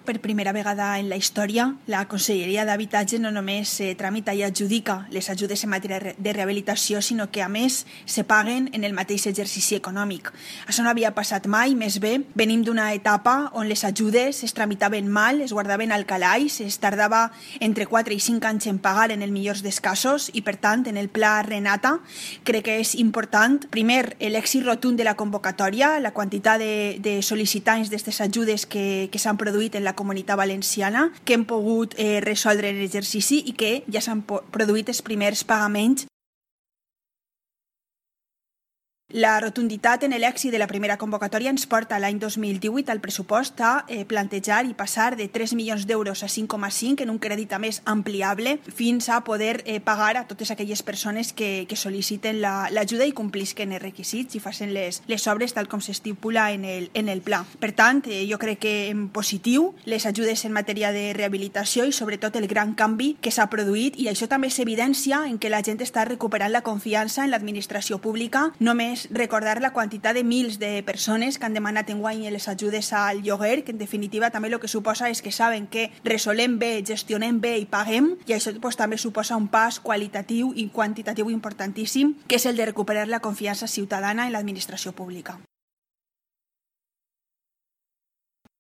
Per primera vegada en la història, la Conselleria d'Habitatge no només tramita i adjudica les ajudes en matèria de rehabilitació, sinó que, a més, se paguen en el mateix exercici econòmic. Això no havia passat mai, més bé. Venim d'una etapa on les ajudes es tramitaven mal, es guardaven al calaix, es tardava entre 4 i 5 anys en pagar en el millor dels casos i, per tant, en el pla Renata crec que és important, primer, l'èxit rotund de la convocatòria, la quantitat de sol·licitants d'aquestes ajudes que s'han produït en la Comunitat Valenciana, que hem pogut resoldre en l'exercici i que ja s'han produït els primers pagaments. La rotunditat en l'èxit de la primera convocatòria ens porta l'any 2018 al pressupost a plantejar i passar de 3 milions d'euros a 5,5 en un crèdit a més ampliable fins a poder pagar a totes aquelles persones que sol·liciten l'ajuda i complisquen els requisits i facin les obres tal com s'estipula en el pla. Per tant, jo crec que en positiu les ajudes en matèria de rehabilitació i sobretot el gran canvi que s'ha produït, i això també s'evidència en que la gent està recuperant la confiança en l'administració pública. Només recordar la quantitat de mils de persones que han demanat enguany les ajudes al lloguer, que en definitiva també el que suposa és que saben que resolem bé, gestionem bé i paguem, i això també suposa un pas qualitatiu i quantitatiu importantíssim, que és el de recuperar la confiança ciutadana en l'administració pública.